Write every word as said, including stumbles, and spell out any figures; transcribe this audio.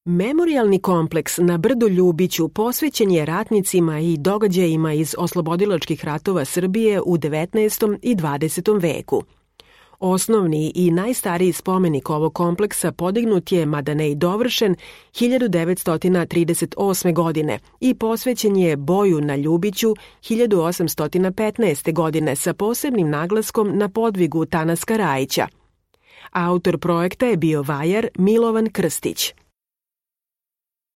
Memorijalni kompleks na brdu Ljubiću posvećen je ratnicima i događajima iz oslobodilačkih ratova Srbije u devetnaestom i dvadesetom veku. Osnovni i najstariji spomenik ovog kompleksa podignut je, mada ne i dovršen, hiljadu devetsto trideset osme. godine i posvećen je boju na Ljubiću hiljadu osamsto petnaeste. godine sa posebnim naglaskom na podvigu Tanaska Rajića. Autor projekta je bio vajar Milovan Krstić.